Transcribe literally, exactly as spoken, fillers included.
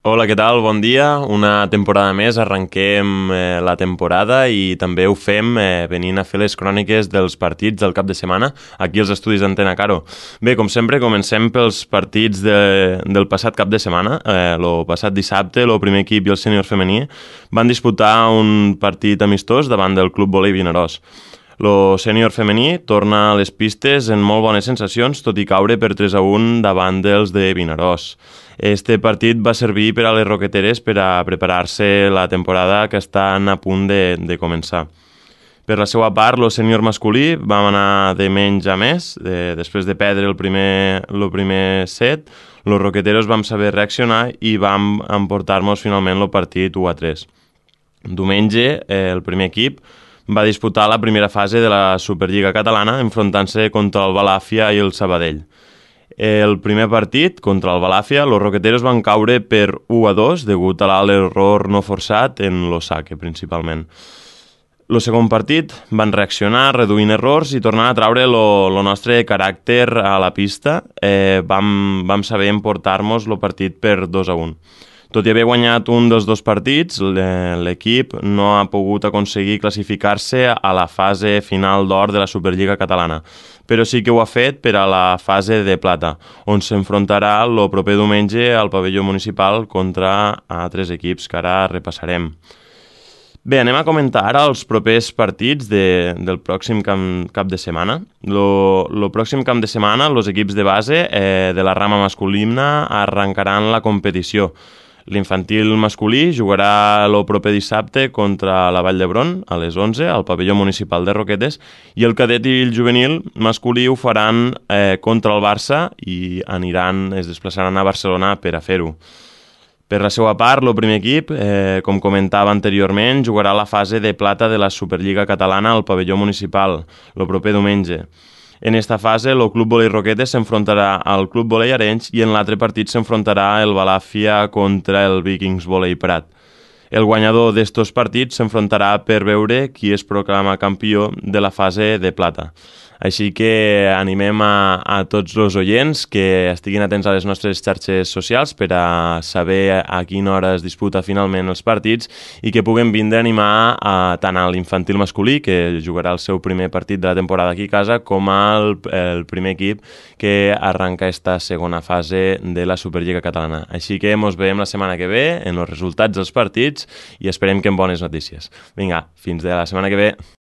Hola, què tal? Bon dia. Una temporada més, arrenquem eh, la temporada i també ho fem eh, venint a fer les cròniques dels partits del cap de setmana aquí als estudis d'Antena Caro. Bé, com sempre, comencem pels partits de, del passat cap de setmana. Eh, lo passat dissabte, el primer equip i el sènior femení van disputar un partit amistós davant del Club Volei Vinaròs. Lo sènior femení torna a les pistes en molt bones sensacions, tot i caure per tres a un davant dels de Vinaròs. Este partit va servir per a les roqueteres per a preparar-se la temporada que estan a punt de, de començar. Per la seva part, el sènior masculí va anar de menys a més. De, després de perdre el primer, el primer set, els roqueteros vam saber reaccionar i vam emportar-nos finalment el partit u a tres. Diumenge, eh, el primer equip va disputar la primera fase de la Superliga Catalana enfrontant-se contra el Balàfia i el Sabadell. El primer partit, contra el Balàfia, els roqueteros van caure per u a dos degut a l'error no forçat en l'Osake, principalment. El segon partit van reaccionar reduint errors i tornant a traure el nostre caràcter a la pista. Eh, vam, vam saber emportar-nos el partit per dos a un. Tot i haver guanyat un dels dos partits, l'equip no ha pogut aconseguir classificar-se a la fase final d'or de la Superliga Catalana, però sí que ho ha fet per a la fase de plata, on s'enfrontarà el proper diumenge al pavelló municipal contra altres equips que ara repassarem. Bé, anem a comentar ara els propers partits de, del pròxim camp, cap de setmana. El pròxim camp de setmana, els equips de base eh, de la rama masculina arrencaran la competició. L'infantil masculí jugarà el proper dissabte contra la Vall d'Hebron a les onze al pavelló municipal de Roquetes i el cadet i el juvenil masculí ho faran eh, contra el Barça i aniran, es desplaçaran a Barcelona per a fer-ho. Per la seva part, el primer equip, eh, com comentava anteriorment, jugarà la fase de plata de la Superliga Catalana al pavelló municipal el proper diumenge. En esta fase, el Club Volei Roquetes s'enfrontarà al Club Volei Arenys i en l'altre partit s'enfrontarà el Balàfia contra el Vikings Volei Prat. El guanyador d'estos partits s'enfrontarà per veure qui es proclama campió de la fase de plata. Així que animem a, a tots els oients que estiguin atents a les nostres xarxes socials per a saber a quina hora es disputa finalment els partits i que puguen vindre a animar a, tant a l'infantil masculí, que jugarà el seu primer partit de la temporada aquí a casa, com al el primer equip que arranca esta segona fase de la Superliga Catalana. Així que ens veiem la setmana que ve en els resultats dels partits i esperem que amb bones notícies. Vinga, fins de la setmana que ve.